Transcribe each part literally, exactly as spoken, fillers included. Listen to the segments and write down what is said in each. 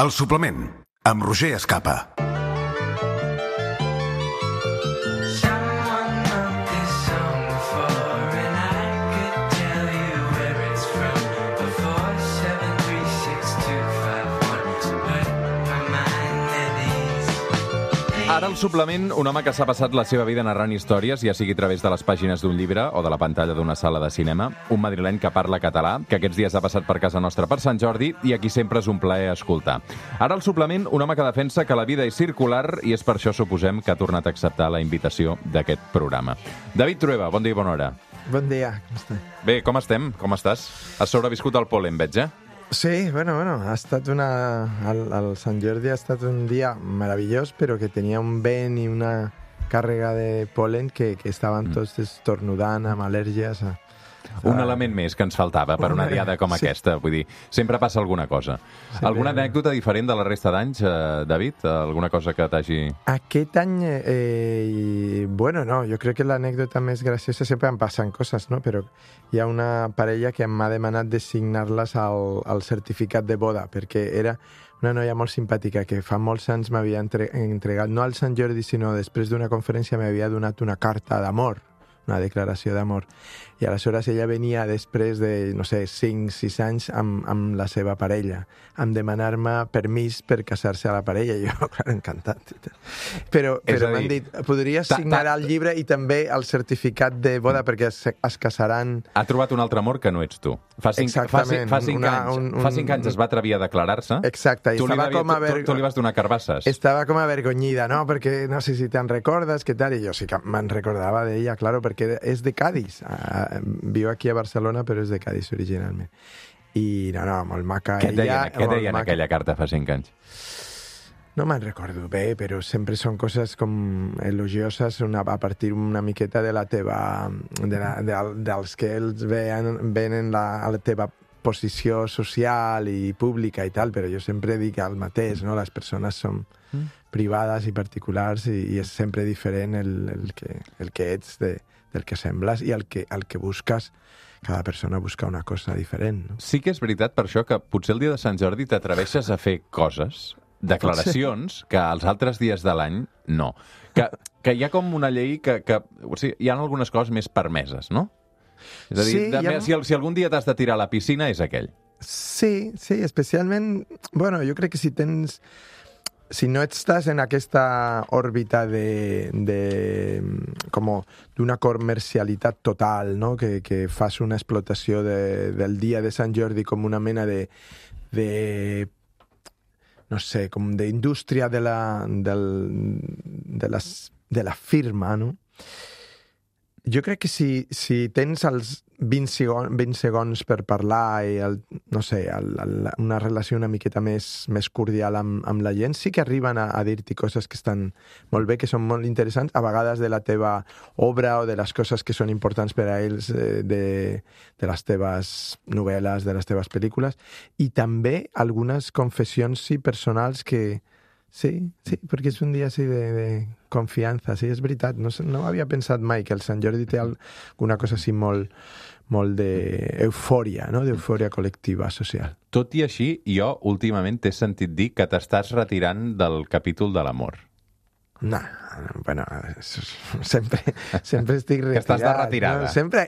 El suplement, amb Roger Escapa. Ara el suplement, un home que s'ha passat la seva vida narrant històries, ja sigui a través de les pàgines d'un llibre o de la pantalla d'una sala de cinema, un madrileny que parla català, que aquests dies ha passat per casa nostra per Sant Jordi i a qui sempre és un plaer escoltar. Ara el suplement, un home que defensa que la vida és circular i és per això, suposem, que ha tornat a acceptar la invitació d'aquest programa. David Trueba, bon dia i bona hora. Bon dia, com estàs? Bé, com estem? Com estàs? Has sobreviscut al pol·len, veig, eh? Sí, bueno, bueno, ha estat una... El, el Sant Jordi ha estat un dia meravellós, però que tenia un vent i una càrrega de pol·len que, que estaven tots estornudant amb al·lèrgies. A... Un element més que ens faltava per una diada com sí. aquesta. Vull dir, sempre passa alguna cosa. Sí, alguna però... anècdota diferent de la resta d'anys, eh, David? Alguna cosa que t'hagi... Aquest any, eh, bueno, no, jo crec que l'anècdota més graciosa sempre em passen coses, no? Però hi ha una parella que m'ha demanat de signar-les al, al certificat de boda, perquè era una noia molt simpàtica que fa molts anys m'havia entre, entregat, no al Sant Jordi, sinó després d'una conferència m'havia donat una carta d'amor, una declaració d'amor. I aleshores ella venia després de, no sé, cinc sis anys amb, amb la seva parella, amb demanar-me permís per casar-se a la parella. I jo, clar, encantat. Però, però m'han dit, podries signar el llibre i també el certificat de boda perquè es, es casaran... Ha trobat un altre amor que no ets tu. Fa cinc, Exactament. Fa, fa, cinc una, anys, un, un, fa cinc anys es va atrevir a declarar-se. Exacte. Tu li, estava va, com a tu, ver... tu, tu li vas donar carbasses. Estava com avergonyida, no? Perquè no sé si te'n recordes, què tal? I jo sí que me'n recordava d'ella, claro, perquè és de Cádiz. Uh, viu aquí a Barcelona, però és de Cádiz originalment. I no, no, molt maca. Què et deien, què deien maca. aquella carta fa cinc anys? No me'n recordo bé, però sempre són coses com elogioses una, a partir una miqueta de la teva... De la, de, dels que ells veien, venen la, a la teva posició social i pública i tal, però jo sempre dic el mateix, no? Les persones són mm. privades i particulars i, i és sempre diferent el, el, que, el que ets de, del que sembles i el que, el que busques. Cada persona busca una cosa diferent, no? Sí que és veritat per això que potser el dia de Sant Jordi t'atreveixes a fer coses, declaracions, que els altres dies de l'any no. Que, que hi ha com una llei que... que o sigui, hi ha algunes coses més permeses, no? És a dir, sí, de, ha... si, si algun dia t'has de tirar a la piscina és aquell. Sí, sí, especialment... Bueno, jo crec que si tens... Si no estàs en aquesta òrbita de, de com d'una comercialitat total, no? que, que fas una explotació de, del dia de Sant Jordi com una mena de, de no sé, com d'indústria de la, del, de, les, de la firma, no? Jo crec que si, si tens els vint segons, vint segons per parlar i, el, no sé, el, el, una relació una miqueta més, més cordial amb, amb la gent, sí que arriben a, a dir-t'hi coses que estan molt bé, que són molt interessants, a vegades de la teva obra o de les coses que són importants per a ells, de, de les teves novel·les, de les teves pel·lícules, i també algunes confessions sí, personals que... Sí, sí, perquè és un dia així de, de confiança, sí, és veritat. No, no havia pensat mai que el Sant Jordi té alguna cosa així molt, molt d'eufòria, no? D'eufòria col·lectiva, social. Tot i així, jo últimament t'he sentit dir que t'estàs retirant del capítol de l'amor. No, bueno, sempre, sempre estic retirat. Que estàs de retirada. No? Sempre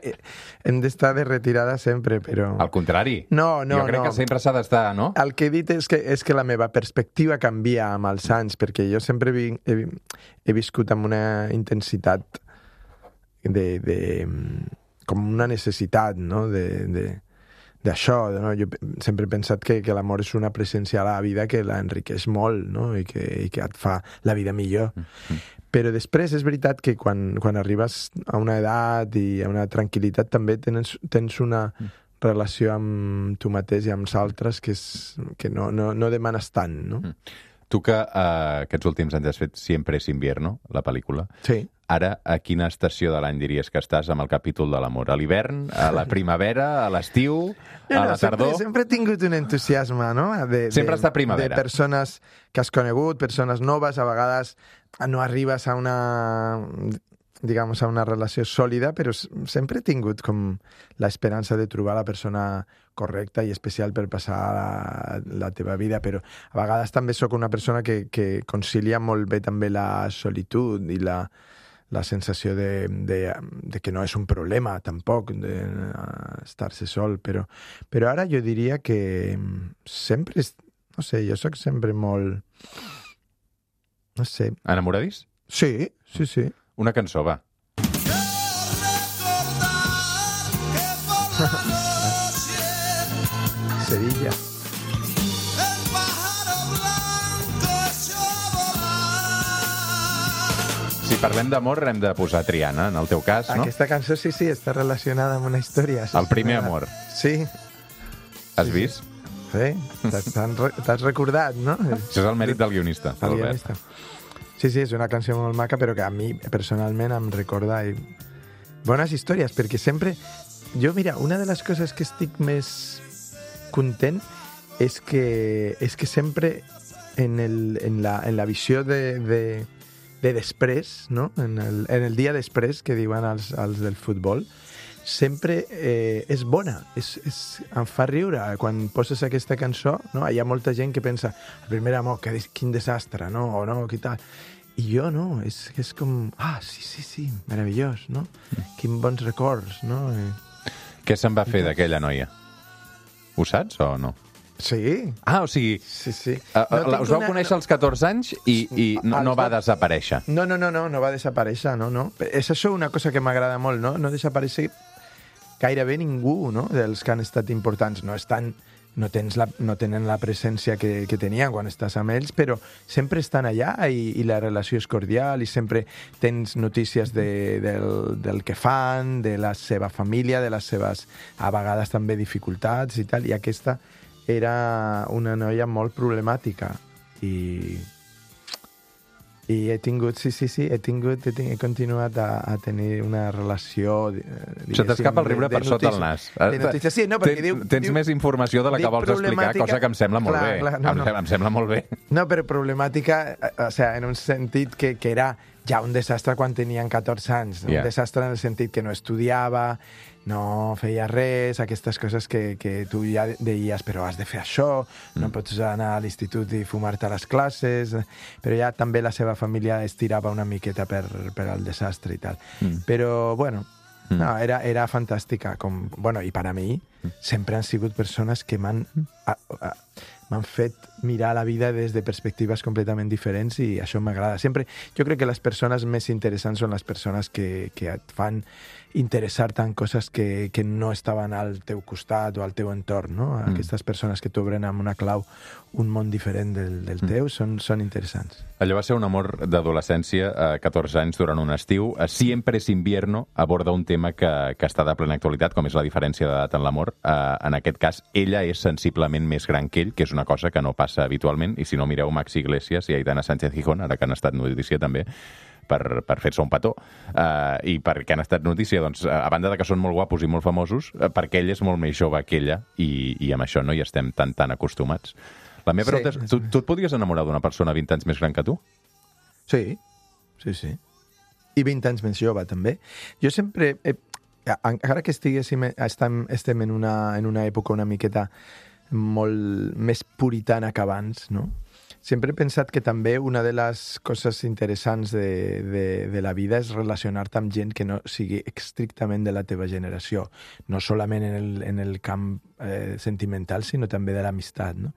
hem d'estar de retirada sempre, però... Al contrari. No, no, jo crec no. que sempre s'ha d'estar, no? El que he dit és que, és que la meva perspectiva canvia amb els anys, perquè jo sempre he, he, he viscut amb una intensitat de, de... com una necessitat, no?, de... de d'això, no? Jo sempre he pensat que, que l'amor és una presència a la vida que l'enriqueix molt, no? I que, i que et fa la vida millor. Mm-hmm. Però després és veritat que quan, quan arribes a una edat i a una tranquil·litat també tens, tens una relació amb tu mateix i amb els altres que, és, que no, no, no demanes tant, no? Mm. Tu que uh, aquests últims anys has fet Siempre es invierno, la pel·lícula. Sí. Ara, a quina estació de l'any diries que estàs amb el capítol de l'amor? A l'hivern, a la primavera, a l'estiu, no, a no, la tardor? Sempre, sempre he tingut un entusiasme, no? De, sempre de, està primavera. De persones que has conegut, persones noves, a vegades no arribes a una... digamos, a una relació sòlida, però sempre he tingut com l'esperança de trobar la persona correcta i especial per passar la, la teva vida, però a vegades també sóc una persona que, que concilia molt bé també la solitud i la, la sensació de, de, de que no és un problema tampoc d'estar-se sol, però, però ara jo diria que sempre, no sé, jo sóc sempre molt, no sé. Enamoradís? Sí, sí, sí. Una cançó, va. Sevilla. Si parlem d'amor, hem de posar Triana, en el teu cas, no? Aquesta cançó, sí, sí, està relacionada amb una història. El primer amor. Sí. Has sí, vist? Sí, t'has recordat, no? Això és el mèrit del guionista, el Albert. guionista. Sí, sí, és una canció molt maca, però que a mi personalment em recorda i... bones històries, perquè sempre... Jo, mira, una de les coses que estic més content és que, és que sempre en, el, en, la, en la visió de, de, de després, no? en, el, en el dia després, que diuen els, els del futbol, sempre eh, és bona, és, és, em fa riure quan poses aquesta cançó, no? Hi ha molta gent que pensa el primer amor, que, quin desastre, no? O no, què tal. I jo no, és, és com, ah, sí, sí, sí, meravellós, no? Mm. Quin bons records, no? Què se'n va fer d'aquella noia? Ho saps o no? Sí. Ah, o sigui, sí, sí. Uh, no us vau una... conèixer als catorze anys i, i no, no va desaparèixer. No, no, no, no, no va desaparèixer, no, no. És això una cosa que m'agrada molt, no? No desaparèixer gairebé ningú, no?, dels que han estat importants. No estan, no, tens la, no tenen la presència que, que tenien quan estàs amb ells, però sempre estan allà i, i la relació és cordial i sempre tens notícies de, del, del que fan, de la seva família, de les seves, a vegades també, dificultats i tal. I aquesta era una noia molt problemàtica i... I he tingut, sí, sí, sí, he tingut, he, tingut, he continuat a, a tenir una relació... Se t'escapa el riure per sota el nas. De notícies, sí, no, perquè tens, diu... Tens diu, més informació de la que vols explicar, cosa que em sembla molt clar, bé. Clar, no, em, no. em sembla molt bé. No, però problemàtica, o sea, en un sentit que, que era ja un desastre quan tenien catorze anys. Yeah. Un desastre en el sentit que no estudiava, no feia res, aquestes coses que, que tu ja deies, però has de fer això, no mm. pots anar a l'institut i fumar-te a les classes, però ja també la seva família estirava una miqueta per, per al desastre i tal. Mm. Però, bueno, mm. no, era, era fantàstica. Com, bueno, i per a mi mm. sempre han sigut persones que m'han... Mm. m'han fet mirar la vida des de perspectives completament diferents i això m'agrada. Sempre, jo crec que les persones més interessants són les persones que, que et fan interessar-te en coses que, que no estaven al teu costat o al teu entorn, no? Mm. Aquestes persones que t'obren amb una clau un món diferent del, del teu són, són interessants. Allò va ser un amor d'adolescència a catorze anys durant un estiu. Siempre es invierno aborda un tema que, que està de plena actualitat, com és la diferència d'edat en l'amor. Uh, en aquest cas, ella és sensiblement més gran que ell, que és una cosa que no passa habitualment, i si no mireu Maxi Iglesias i Aitana Sánchez Gijón, ara que han estat notícia també, per, per fer-se un petó, uh, i perquè han estat notícia, doncs, a banda de que són molt guapos i molt famosos, uh, perquè ell és molt més jove que ella, i, i amb això no hi estem tan, tan acostumats. La meva pregunta és, tu, tu et podries enamorar d'una persona vint anys més gran que tu? Sí, sí, sí. I vint anys més jove, també. Jo sempre, he, encara que estiguéssim, estem, estem en, una, en una època una miqueta molt més puritana que abans, no? Sempre he pensat que també una de les coses interessants de, de, de la vida és relacionar-te amb gent que no sigui estrictament de la teva generació, no solament en el, en el camp eh, sentimental, sinó també de l'amistat, no?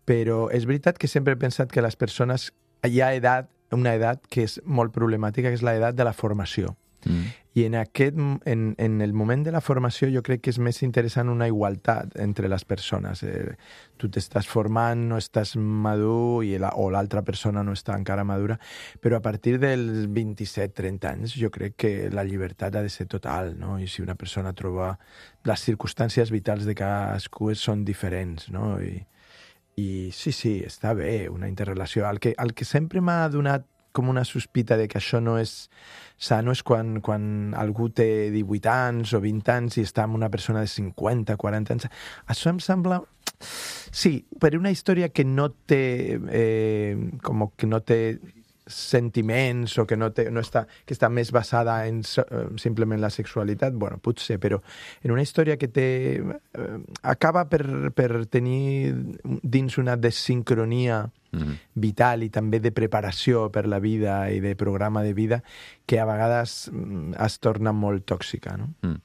Però és veritat que sempre he pensat que les persones... Hi ha edat, una edat que és molt problemàtica, que és l'edat de la formació. Mm. I en, aquest, en, en el moment de la formació jo crec que és més interessant una igualtat entre les persones. Eh, tu t'estàs formant, no estàs madur, i la, o l'altra persona no està encara madura, però a partir dels vint-i-set trenta anys jo crec que la llibertat ha de ser total, no? I si una persona troba... Les circumstàncies vitals de cadascú són diferents, no? I, i sí, sí, està bé una interrelació. El que, el que sempre m'ha donat com una sospita de que això no és sano és quan, quan algú té divuit anys o vint anys i està amb una persona de cinquanta, quaranta anys. Això em sembla... Sí, per una història que no té... Eh, com que no té sentiments o que no, té, no està, que està més basada en so, simplement la sexualitat, bueno, potser, però en una història que té, eh, acaba per, per tenir dins una desincronia mm-hmm. vital i també de preparació per la vida i de programa de vida que a vegades es torna molt tòxica, no? Mm.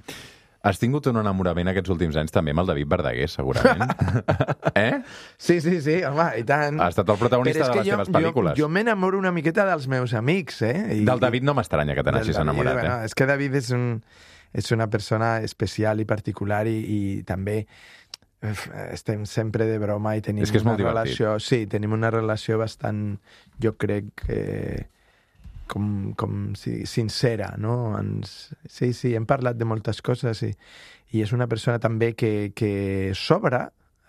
Has tingut un enamorament aquests últims anys també amb el David Verdaguer, segurament. Eh? Sí, sí, sí, home, i tant. Ha estat el protagonista de les jo, teves pel·lícules. Jo, jo m'enamoro una miqueta dels meus amics, eh? I, Del David no m'estranya que te n'hagis enamorat, bueno, eh? És que David és, un, és una persona especial i particular i, i també estem sempre de broma i tenim és que és una molt relació... Sí, tenim una relació bastant, jo crec que... com, com si, sincera, no? Ens, sí, sí, hem parlat de moltes coses i, i és una persona també que, que s'obre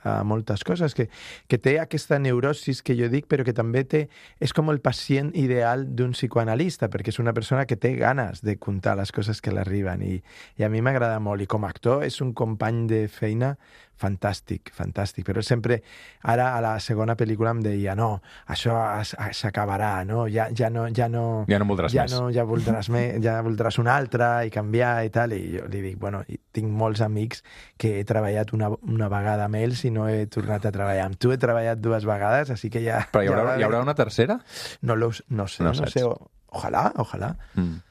a moltes coses, que, que té aquesta neurosis que jo dic, però que també té, és com el pacient ideal d'un psicoanalista, perquè és una persona que té ganes de contar les coses que l'arriben i, i a mi m'agrada molt. I com a actor és un company de feina fantàstic, fantàstic, però sempre, ara a la segona pel·lícula em deia, no, això s'acabarà, no? Ja, ja no, ja no... Ja no voldràs ja més. No, ja voldràs més, ja voldràs una altra i canviar i tal, i jo li dic, bueno, tinc molts amics que he treballat una, una vegada amb ells i no he tornat a treballar amb tu, he treballat dues vegades, així que ja... Però hi haurà, ja hi haurà una tercera? No, lo, no sé, no, no sé, ojalà, ojalà. Mm.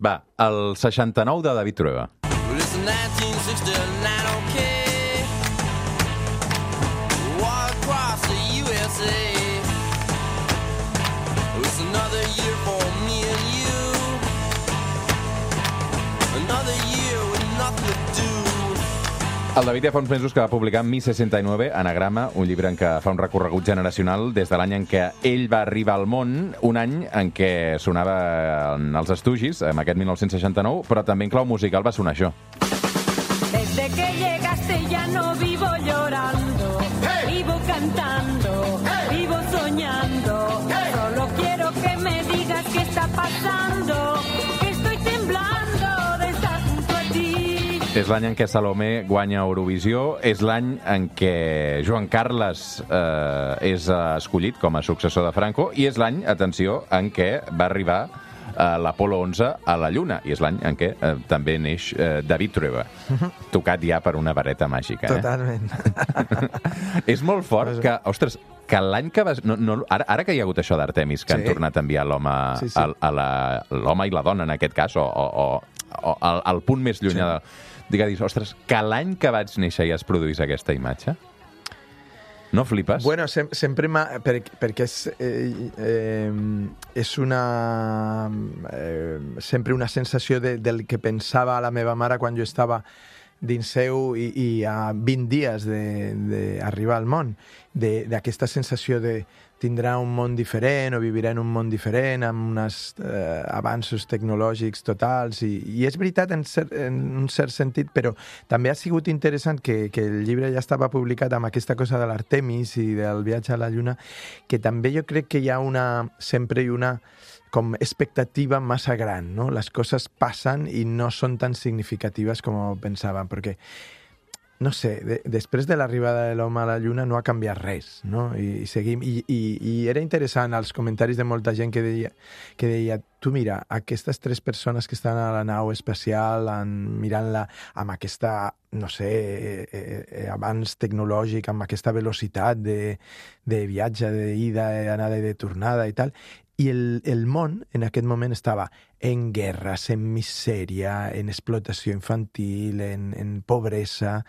Va, el seixanta-nou de David Trueba. El David ja fa uns mesos que va publicar Mi seixanta i nueve, Anagrama, un llibre en què fa un recorregut generacional des de l'any en què ell va arribar al món, un any en què sonava els Stooges, en aquest mil nou-cents seixanta-nou, però també en clau musical va sonar això. Desde que llegaste ya no vivo llorando, hey. Vivo cantando, hey. Vivo soñando, hey. Solo quiero que me digas qué está pasando, que estoy temblando de estar junto a ti. És l'any en què Salomé guanya Eurovisió, és l'any en què Joan Carles eh, és escollit com a successor de Franco, i és l'any, atenció, en què va arribar l'Apolo onze a la Lluna, i és l'any en què eh, també neix eh, David Trueba, tocat ja per una vareta màgica. Eh? Totalment. És molt fort que, ostres, que l'any que vas... No, no, ara, ara que hi ha hagut això d'Artemis, que sí. han tornat a enviar l'home sí, sí. a, a la, l'home i la dona, en aquest cas, o, o, o al, al punt més llunyà sí. de... Digues, ostres, que l'any que vaig néixer ja es produís aquesta imatge? No flipes? Bueno, sem sempre m'ha... Per, perquè és, eh, eh, és una... Eh, sempre una sensació de, del que pensava la meva mare quan jo estava dins seu i, i a vint dies d'arribar al món, d'aquesta sensació de tindrà un món diferent o vivirà en un món diferent amb uns eh, avanços tecnològics totals i, i és veritat en, cert, en un cert sentit, però també ha sigut interessant que, que el llibre ja estava publicat amb aquesta cosa de l'Artemis i del viatge a la Lluna, que també jo crec que hi ha una, sempre hi una com expectativa massa gran, no? Les coses passen i no són tan significatives com pensàvem, perquè no sé, de, després de l'arribada de l'home a la Lluna no ha canviat res, no? I, i seguim, i, i, i era interessant els comentaris de molta gent que deia, que deia, tu mira, aquestes tres persones que estan a la nau espacial mirant-la amb aquesta, no sé, eh, eh, avanç tecnològic, amb aquesta velocitat de, de viatge, d'ida, d'anada i de tornada i tal, i el, el món en aquest moment estava en guerres, en misèria, en explotació infantil, en, en pobresa,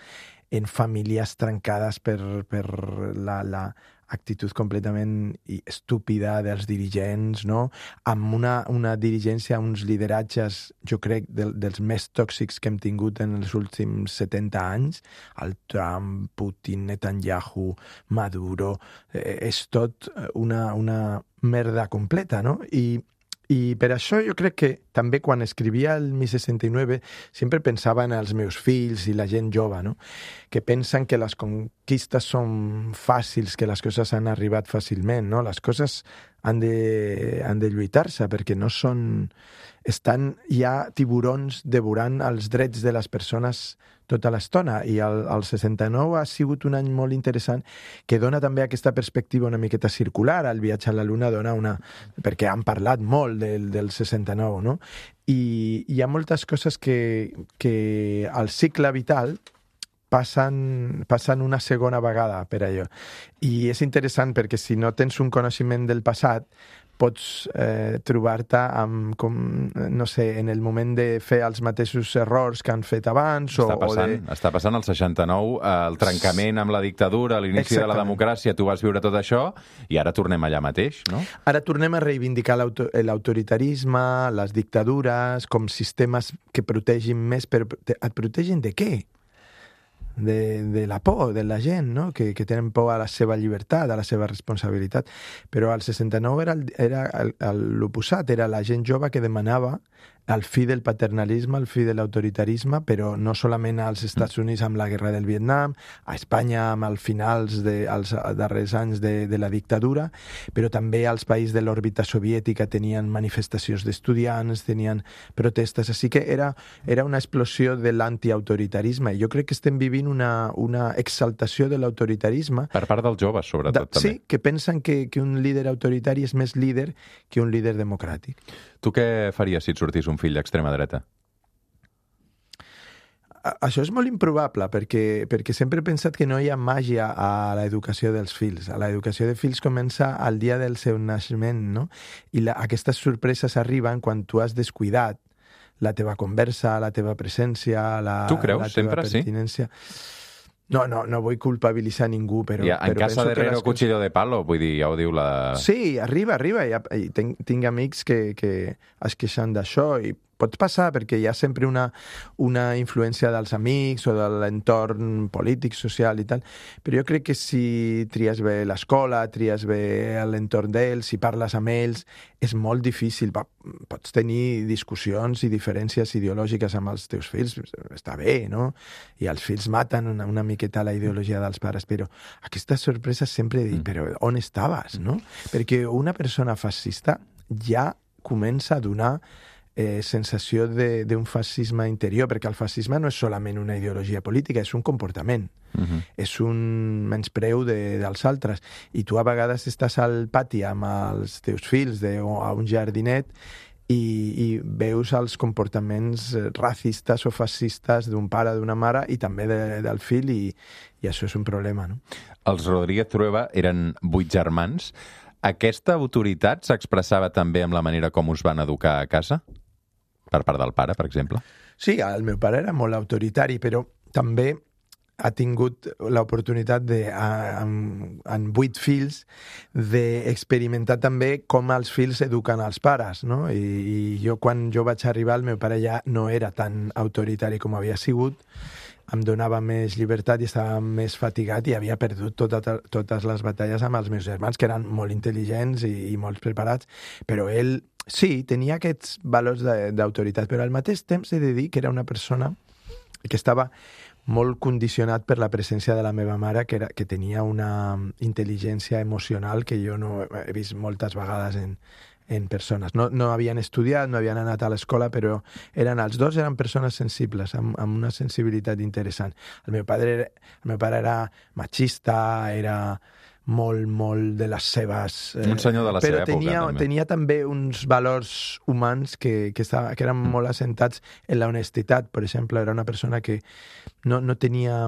en famílies trencades per, per la, la actitud completament estúpida dels dirigents, no? Amb una, una dirigència, uns lideratges, jo crec, de, dels més tòxics que hem tingut en els últims setanta anys, el Trump, Putin, Netanyahu, Maduro, eh, és tot una, una merda completa, no? I I per això jo crec que també quan escrivia el Mi seixanta i nueve sempre pensava en els meus fills i la gent jove, no? Que pensen que les conquistes són fàcils, que les coses han arribat fàcilment, no? Les coses han de, han de lluitar-se perquè no són... Estan, hi ha tiburons devorant els drets de les persones tota l'estona. I el, el seixanta-nou ha sigut un any molt interessant que dona també aquesta perspectiva una miqueta circular. El viatge a la Luna dona una... perquè han parlat molt del, del seixanta-nou, no? I hi ha moltes coses que, que al cicle vital passen, passen una segona vegada per allò. I és interessant perquè si no tens un coneixement del passat, pots eh, trobar-te amb, com, no sé, en el moment de fer els mateixos errors que han fet abans. Està o, passant, o de... està passant el seixanta-nou, eh, el trencament amb la dictadura, l'inici de la democràcia, tu vas viure tot això i ara tornem allà mateix, no? Ara tornem a reivindicar l'auto l'autoritarisme, les dictadures, com sistemes que protegin més, però et protegen de què? De, de la por de la gent, no? que, que tenen por a la seva llibertat, a la seva responsabilitat. Però al seixanta-nou era, era l'oposat, era la gent jove que demanava el fi del paternalisme, el fi de l'autoritarisme, però no solament als Estats Units amb la guerra del Vietnam, a Espanya amb els finals de, als darrers anys de, de la dictadura, però també als països de l'òrbita soviètica tenien manifestacions d'estudiants, tenien protestes, així que era, era una explosió de l'antiautoritarisme. Jo crec que estem vivint una, una exaltació de l'autoritarisme. Per part dels joves, sobretot, de, també. Sí, que pensen que, que un líder autoritari és més líder que un líder democràtic. Tu què faries si et sortís un fill d'extrema dreta? Això és molt improbable, perquè, perquè sempre he pensat que no hi ha màgia a l'educació dels fills. L'educació de fills comença al dia del seu naixement, no? I la, aquestes sorpreses arriben quan tu has descuidat la teva conversa, la teva presència, la, tu creus, la teva sempre, pertinència. Sí? No, no, no vull culpabilitzar ningú, però... Ja, en però casa de Herrero, cuchillo de palo, vull dir, ja ho diu la... Sí, arriba, arriba. I, i tinc, tinc amics que, que es queixen d'això i pot passar perquè hi ha sempre una, una influència dels amics o de l'entorn polític, social i tal, però jo crec que si tries bé l'escola, tries bé l'entorn d'ells, si parles amb ells, és molt difícil. Pots tenir discussions i diferències ideològiques amb els teus fills, està bé, no? I els fills maten una, una miqueta la ideologia dels pares, però aquesta sorpresa sempre dic, però on estaves, no? Perquè una persona fascista ja comença a donar Eh, sensació d'un fascisme interior, perquè el fascisme no és solament una ideologia política, és un comportament, uh-huh. és un menyspreu de, dels altres. I tu a vegades estàs al pati amb els teus fills de, o a un jardinet i, i veus els comportaments racistes o fascistes d'un pare, d'una mare i també de, del fill, i, i això és un problema, no? Els Rodríguez Trueba eren vuit germans. Aquesta autoritat s'expressava també amb la manera com us van educar a casa? Per part del pare, per exemple? Sí, el meu pare era molt autoritari, però també ha tingut l'oportunitat de, amb, amb vuit fills, d'experimentar també com els fills eduquen els pares, no? I, i jo, quan jo vaig arribar, el meu pare ja no era tan autoritari com havia sigut, em donava més llibertat i estava més fatigat i havia perdut tota, totes les batalles amb els meus germans, que eren molt intel·ligents i, i molt preparats, però ell, sí, tenia aquests valors d'autoritat, però al mateix temps he de dir que era una persona que estava molt condicionat per la presència de la meva mare, que, era, que tenia una intel·ligència emocional que jo no he vist moltes vegades en, en persones. No, no havien estudiat, no havien anat a l'escola, però eren els dos eren persones sensibles, amb, amb una sensibilitat interessant. El meu pare era, el meu pare era machista, era molt, molt de les seves... Eh, un senyor de la seva època, tenia, també. Tenia també uns valors humans que, que, estava, que eren molt assentats en la honestitat. Per exemple, era una persona que no, no tenia...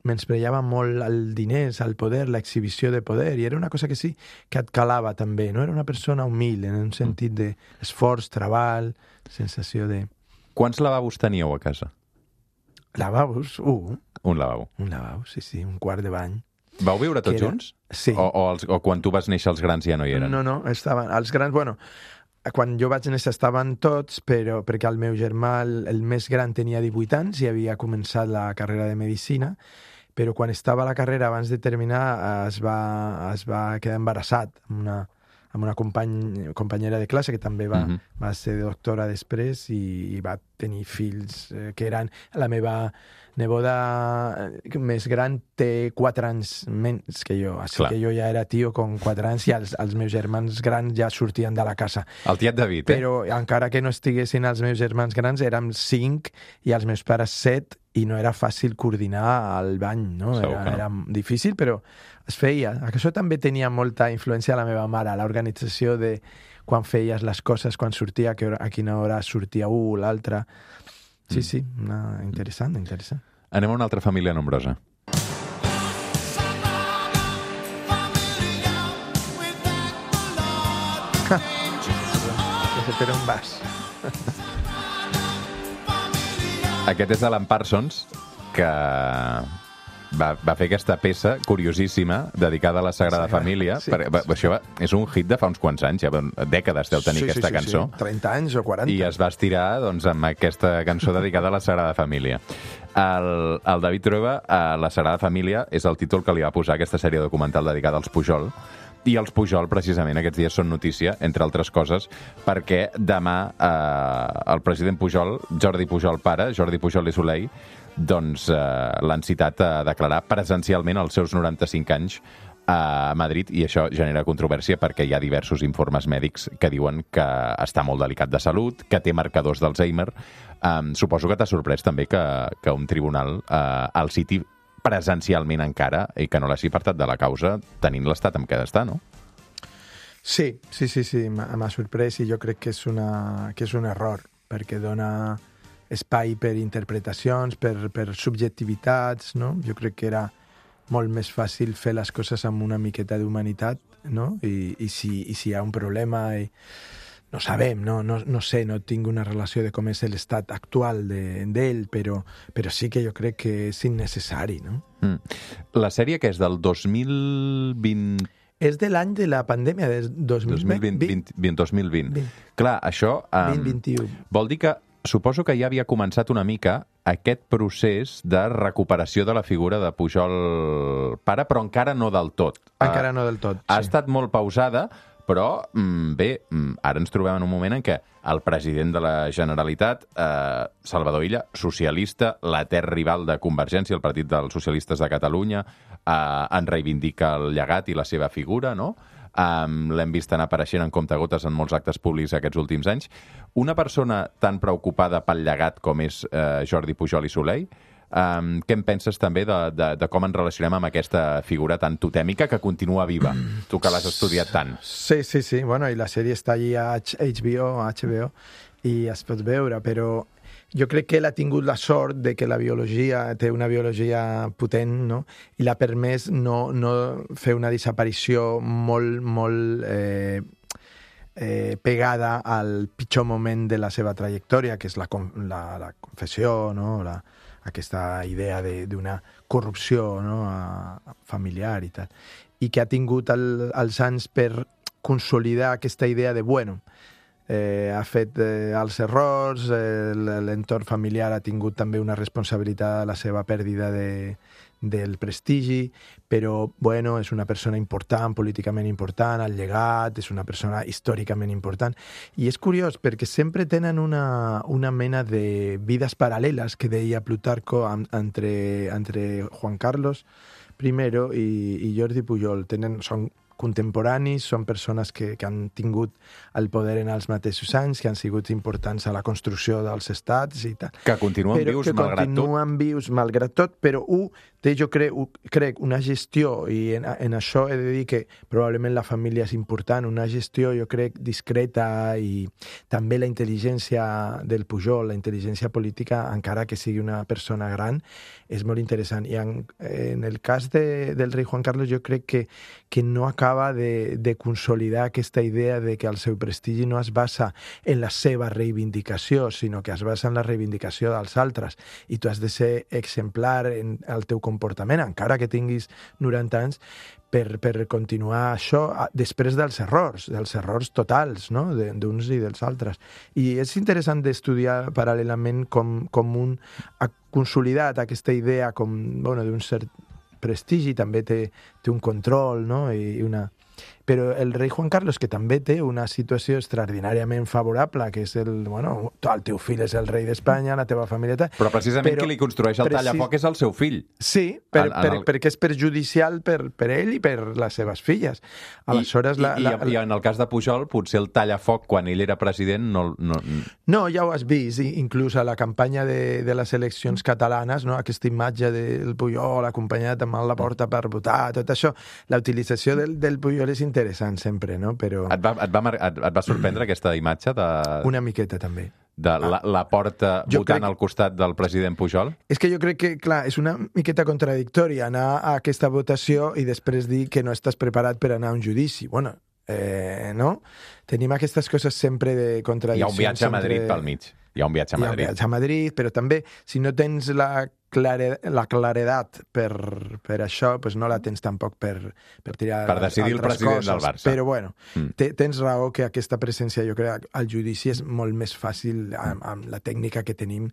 menyspreava molt el diners, el poder, l'exhibició de poder, i era una cosa que sí que et calava també, no? Era una persona humil, en un sentit d'esforç, treball, sensació de... Quants lavabos teníeu a casa? Lavabos? Un. Un lavabo. Un lavabo, sí, sí, un quart de bany. Vau viure tots era... junts? Sí. O, o, els, o quan tu vas néixer els grans ja no hi eren? No, no, estaven... Els grans, bueno, quan jo vaig néixer estaven tots, però perquè el meu germà, el, el més gran, tenia divuit anys i havia començat la carrera de Medicina, però quan estava a la carrera, abans de terminar, es va, es va quedar embarassat amb una, amb una company, companyera de classe que també va, uh-huh. va ser doctora després i, i va tenir fills eh, que eren... La meva neboda més gran té quatre anys menys que jo, així Clar. que jo ja era tio con quatre anys i els, els meus germans grans ja sortien de la casa. El tiet David, eh? Però encara que no estiguessin els meus germans grans, érem cinc i els meus pares set i no era fàcil coordinar el bany, no? Segur Era, que no. era difícil, però es feia. Això també tenia molta influència a la meva mare, l'organització de quan feies les coses, quan sortia, a, que hora, a quina hora sortia un o l'altre. Sí, Mm. sí, una... interessant, interessant. Anem a una altra família nombrosa. Que se per on vas. Aquest és Alan Parsons, que va, va fer aquesta peça curiosíssima dedicada a la Sagrada Sagrada, Família. sí. Per, va, això va, és un hit de fa uns quants anys, ja dècades deu tenir Sí, sí, aquesta sí, cançó. Sí. trenta anys o quaranta. I es va estirar doncs, amb aquesta cançó dedicada a la Sagrada Família. El, el David Trueba, a la Sagrada Família, és el títol que li va posar a aquesta sèrie documental dedicada als Pujol. I els Pujol, precisament, aquests dies són notícia, entre altres coses, perquè demà eh, el president Pujol, Jordi Pujol pare, Jordi Pujol i Soleil, doncs eh, l'han citat a declarar presencialment els seus noranta-cinc anys a Madrid, i això genera controvèrsia perquè hi ha diversos informes mèdics que diuen que està molt delicat de salut, que té marcadors d'Alzheimer. Um, suposo que t'ha sorprès també que, que un tribunal uh, el citi presencialment encara i que no l'hagi apartat de la causa tenint l'estat amb què està, no? Sí, sí, sí, sí, m'ha m'ha sorprès i jo crec que és, una, que és un error, perquè dona espai per interpretacions, per, per subjectivitats, no? Jo crec que era molt més fàcil fer les coses amb una miqueta d'humanitat, no? I, i, si, i si hi ha un problema... I... No sabem, no, no, no sé, no tinc una relació de com és l'estat actual d'ell, de, però, però sí que jo crec que és innecessari, no? Mm. La sèrie que és del dos mil vint... És de l'any de la pandèmia, del dos mil vint. dos mil vint. vint. Clar, això... Um, vint vint-i-u. Vol dir que suposo que ja havia començat una mica aquest procés de recuperació de la figura de Pujol pare, però encara no del tot. Encara no del tot, Ha sí. estat molt pausada, però mm, bé, mm, ara ens trobem en un moment en què el president de la Generalitat, eh, Salvador Illa, socialista, l'etern rival de Convergència, el Partit dels Socialistes de Catalunya, eh, en reivindica el llegat i la seva figura, no? Um, l'hem vist anar apareixent en comptagotes en molts actes públics aquests últims anys. Una persona tan preocupada pel llegat com és eh, Jordi Pujol i Soleil, um, què en penses també de, de, de com ens relacionem amb aquesta figura tan totèmica que continua viva? Tu que l'has estudiat tant. Sí, sí, sí. Bueno, i la sèrie està allí a H B O, a H B O, i es pot veure, però jo crec que ell ha tingut la sort de que la biologia té una biologia potent, no? I l'ha permès no, no fer una desaparició molt, molt eh, eh, pegada al pitjor moment de la seva trajectòria, que és la, la, la confessió, no? La, aquesta idea d'una corrupció, no? A, familiar i tal. I que ha tingut el, els anys per consolidar aquesta idea de, bueno, Eh, ha fet eh, els errors, eh, l'entorn familiar ha tingut també una responsabilitat a la seva pèrdua de, del prestigi, però bueno, és una persona important, políticament important, el llegat, és una persona històricament important. I és curiós perquè sempre tenen una, una mena de vides paral·leles que deia Plutarco entre, entre Juan Carlos primero i, i Jordi Pujol. Tenen, són contemporanis, són persones que, que han tingut el poder en els mateixos anys, que han sigut importants a la construcció dels estats i tal. Que continuen però vius que malgrat tot. continuen vius malgrat tot, però un té, jo crec, crec una gestió, i en, en això he de dir que probablement la família és important, una gestió, jo crec, discreta, i també la intel·ligència del Pujol, la intel·ligència política, encara que sigui una persona gran, és molt interessant. I en, en el cas de, del rei Juan Carlos, jo crec que, que no acaba de, de consolidar aquesta idea de que el seu prestigi no es basa en la seva reivindicació, sinó que es basa en la reivindicació dels altres. I tu has de ser exemplar en el teu comportament, encara que tinguis noranta anys, per, per continuar això després dels errors, dels errors totals, no? D'uns i dels altres. I és interessant d'estudiar paral·lelament com, com un ha consolidat aquesta idea com, bueno, d'un cert prestigi, també té, té un control, no? I una... Però el rei Juan Carlos, que també té una situació extraordinàriament favorable, que és el, bueno, el teu fill és el rei d'Espanya, la teva família... Tal, però precisament però, qui li construeix el precis... tallafoc és el seu fill. Sí, per, en, en per, el... perquè és perjudicial per, per ell i per les seves filles. Aleshores, I, la, i, la, i, I en el cas de Pujol, potser el tallafoc, quan ell era president, no... No, no ja ho has vist, inclús a la campanya de, de les eleccions catalanes, no? Aquesta imatge del Pujol acompanyat amb la porta per votar, tot això, la utilització del, del Pujol és interessant sempre, no? Però... Et va, et va, et, et va sorprendre aquesta imatge de... Una miqueta, també. De la, la porta jo votant crec... al costat del president Pujol? És que jo crec que, clar, és una miqueta contradictòria anar a aquesta votació i després dir que no estàs preparat per anar a un judici. Bueno, eh, no? Tenim aquestes coses sempre de contradiccions. Hi ha un viatge a Madrid pel mig. Hi ha un viatge a Madrid. Hi ha un viatge a Madrid, però també, si no tens la, clare, la claredat per, per això, pues no la tens tampoc per, per tirar per decidir el president coses. del Barça. Però, bueno, mm. te, tens raó que aquesta presència, jo crec, al judici és molt més fàcil amb, amb la tècnica que tenim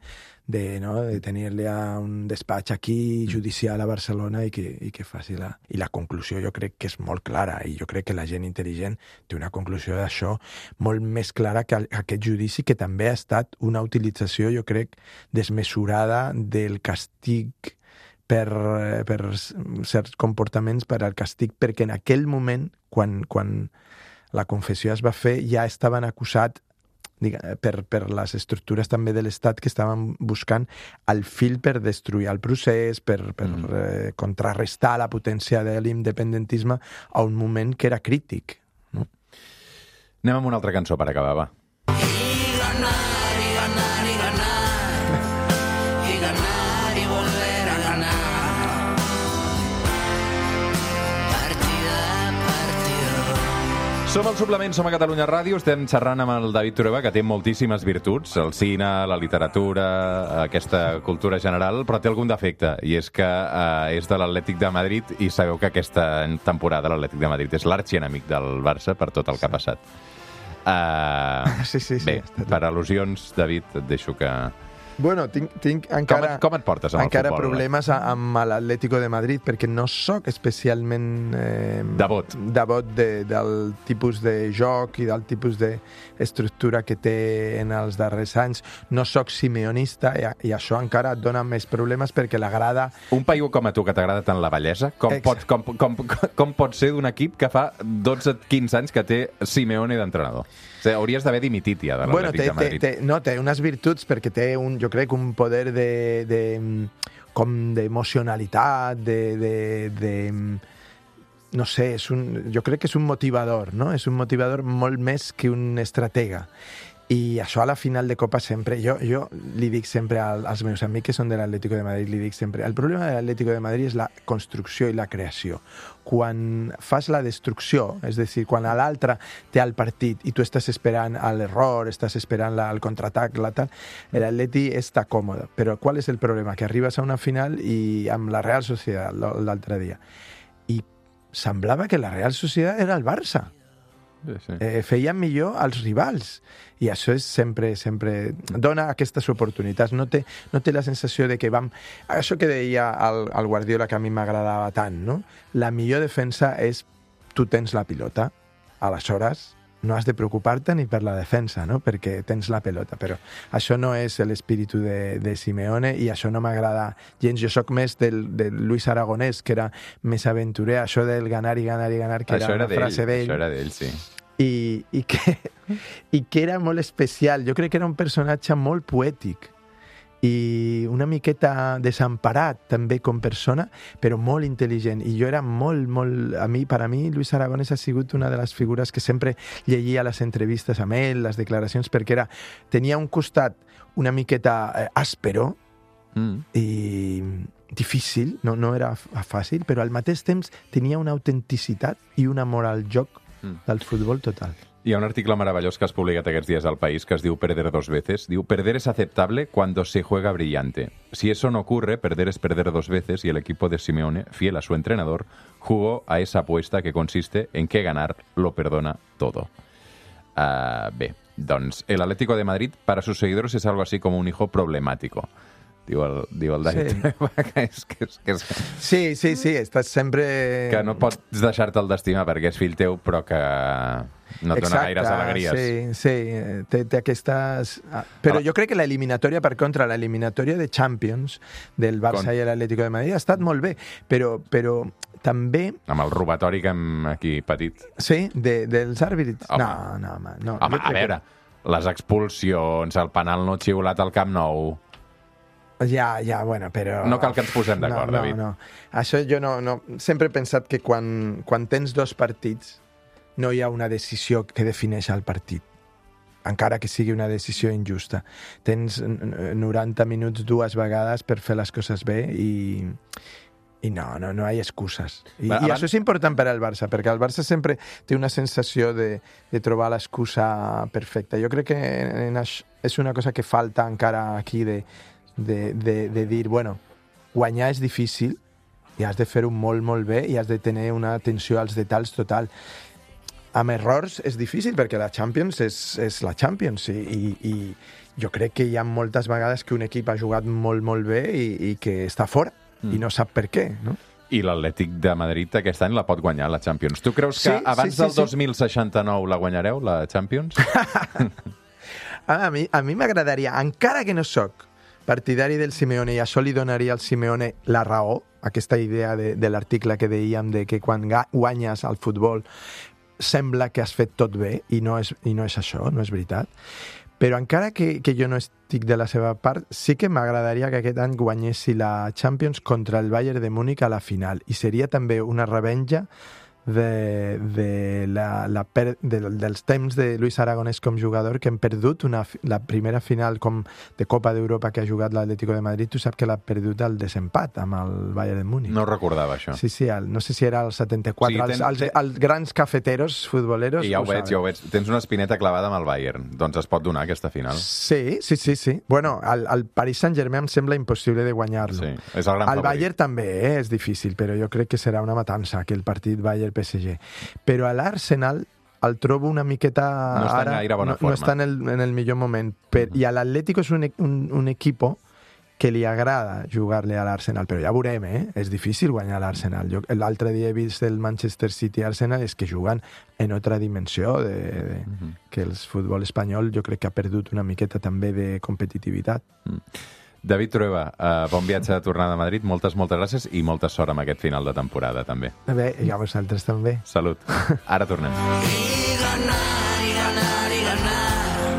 de, no, de tenir-li a un despatx aquí, judicial a Barcelona, i que, i que faci la... I la conclusió jo crec que és molt clara, i jo crec que la gent intel·ligent té una conclusió d'això molt més clara que aquest judici, que també ha estat una utilització, jo crec, desmesurada del càstig per, per certs comportaments, per al càstig, perquè en aquell moment, quan, quan la confessió es va fer, ja estaven acusats per, per les estructures també de l'Estat que estaven buscant el fil per destruir el procés, per, per mm. eh, contrarrestar la potència de l'independentisme a un moment que era crític. No? Anem amb una altra cançó per acabar, va. Y ganar, y ganar, y ganar, y ganar, y volver a ganar. Partida a partido. Som al Suplement, som a Catalunya Ràdio, estem xerrant amb el David Trueba, que té moltíssimes virtuts, el cine, la literatura, aquesta cultura general, però té algun defecte, i és que eh, és de l'Atlètic de Madrid, i sabeu que aquesta temporada l'Atlètic de Madrid és l'arxienemic del Barça per tot el que ha passat. Uh, sí, sí, sí. Bé, per al·lusions, David, et deixo que... Bueno, tinc, tinc encara... Com et, com et portes amb encara el futbol? problemes amb l'Atlético de Madrid, perquè no sóc especialment... Eh, devot. Devot de, del tipus de joc i del tipus d'estructura que té en els darrers anys. No sóc simeonista, i, i això encara et dona més problemes, perquè l'agrada... Un paio com a tu, que t'agrada tant la bellesa, com pot, com, com, com, com pot ser d'un equip que fa dotze quinze anys que té Simeone d'entrenador? O sigui, hauries d'haver dimitit ja de l'Atlètic bueno, té, de Madrid. Té, té, no, té unes virtuts, perquè té, un, jo crec, un poder de, de com d'emocionalitat, de, de, de... no sé, és un, jo crec que és un motivador, no? És un motivador molt més que un estratega. I això a la final de Copa sempre, jo, jo li dic sempre als meus amics que són de l'Atlético de Madrid, li dic sempre, el problema de l'Atlético de Madrid és la construcció i la creació. Quan fas la destrucció, és a dir, quan l'altre té el partit i tu estàs esperant l'error, estàs esperant la, el contraatac, la tal, l'Atleti està còmode. Però qual és el problema? Que arribes a una final i amb la Real Sociedad l'altre dia. I semblava que la Real Sociedad era el Barça. Sí, sí. Eh, feien millor als rivals, i això és sempre, sempre dona aquestes oportunitats. No té, no té la sensació de que vam... Això que deia el, el Guardiola, que a mi m'agradava tant, no? La millor defensa és tu tens la pilota, aleshores no has de preocupar-te ni per la defensa, no? Perquè tens la pelota, però això no és l'espíritu de, de Simeone, i això no m'agrada gens. Jo sóc més del, del Luis Aragonès, que era més aventurer, això del ganar i ganar i ganar, que això era una era frase d'ell. Això era d'ell, sí. I, i, que, i que era molt especial. Jo crec que era un personatge molt poètic i una miqueta desemparat també com persona, però molt intel·ligent. I jo era molt, molt... A mi, per a mi, Luis Aragonès ha sigut una de les figures que sempre llegia les entrevistes amb ell, les declaracions, perquè era, tenia un costat una miqueta eh, àspero mm. i difícil, no, no era fàcil, però al mateix temps tenia una autenticitat i un amor al joc mm. del futbol total. Hi ha un article meravellós que has publicat aquests dies al País que es diu Perder dos veces. Diu, perder es aceptable cuando se juega brillante. Si eso no ocurre, perder es perder dos veces, y el equipo de Simeone, fiel a su entrenador, jugó a esa apuesta que consiste en que ganar lo perdona todo. Uh, bé, doncs el Atlético de Madrid para sus seguidores es algo así como un hijo problemático. diu el, diu el David. Sí. que és, que és, que és... Sí, sí, sí, estàs sempre... Que no pots deixar-te'l d'estimar perquè és fill teu, però que no et dona gaires alegries. Sí, sí, té, té aquestes... Però jo crec que l'eliminatòria, per contra, l'eliminatòria de Champions del Barça Con... i l'Atlético de Madrid ha estat molt bé, però, però també... Amb el robatori que hem aquí patit. Sí, de, dels àrbits. Home. No, no, home. No, Home, a veure, que... les expulsions, el penal no xiulat al Camp Nou... Ja, ja, bueno, però... No cal que ens posem d'acord, no, no, David. No, no. Això jo no, no... Sempre he pensat que quan, quan tens dos partits no hi ha una decisió que defineix el partit, encara que sigui una decisió injusta. Tens noranta minuts dues vegades per fer les coses bé i, i no, no, no hi ha excuses. I, Va, i abans... això és important per al Barça, perquè el Barça sempre té una sensació de, de trobar l'excusa perfecta. Jo crec que en això és una cosa que falta encara aquí de De, de, de dir, bueno, guanyar és difícil i has de fer-ho molt, molt bé i has de tenir una atenció als detalls total. Amb errors és difícil perquè la Champions és, és la Champions i, i, i jo crec que hi ha moltes vegades que un equip ha jugat molt, molt bé i, i que està fora mm. i no sap per què, no? I l'Atlètic de Madrid aquest any la pot guanyar, la Champions. Tu creus que sí, abans sí, sí, del dos mil seixanta-nou la guanyareu, la Champions? a mi a mi m'agradaria, encara que no sóc partidari del Simeone, i això li donaria al Simeone la raó, aquesta idea de, de l'article que dèiem de que quan guanyes al futbol sembla que has fet tot bé, i no és, i no és això, no és veritat. Però encara que, que jo no estic de la seva part, sí que m'agradaria que aquest any guanyessi la Champions contra el Bayern de Múnich a la final, i seria també una revenja de, de la, la per, de, dels temps de Luis Aragonès com jugador, que hem perdut una, la primera final com de Copa d'Europa que ha jugat l'Atlético de Madrid. Tu saps que l'ha perdut al desempat amb el Bayern de Múnich. No recordava això. Sí, sí, el, no sé si era el setanta-quatre. Sí, tens... els, els, els grans cafeteros futboleros... I ja ho, ho veig, saben. ja ho veig. Tens una espineta clavada amb el Bayern. Doncs es pot donar aquesta final. Sí, sí, sí. sí. Bueno, el, el Paris Saint-Germain em sembla impossible de guanyar-lo. Sí, és el gran el favorit. Bayern també eh, és difícil, però jo crec que serà una matança, aquell partit Bayern-P S G. Però a l'Arsenal el trobo una miqueta... No està en ara, gaire bona no, forma. No està en el, en el millor moment. Per, I a l'Atlético és un, un, un equipo que li agrada jugar-li a l'Arsenal, però ja veurem, eh? És difícil guanyar l'Arsenal. L'altre dia he vist el Manchester City-Arsenal, és que juguen en altra dimensió, de, de, uh -huh. que el futbol espanyol jo crec que ha perdut una miqueta també de competitivitat. Mm. David Trueba, uh, bon viatge de tornada a Madrid, moltes, moltes gràcies i molta sort amb aquest final de temporada, també. Bé, i a vosaltres també. Salut. Ara tornem. Y ganar, y ganar, y ganar,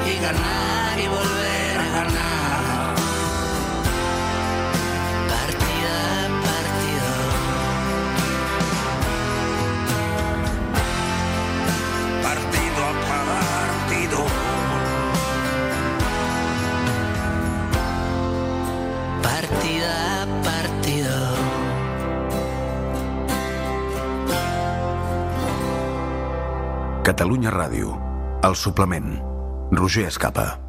y ganar y volver a ganar. Partida a partido. Partido a partido. Partida a partido. Catalunya Ràdio. El suplement. Roger Escapa.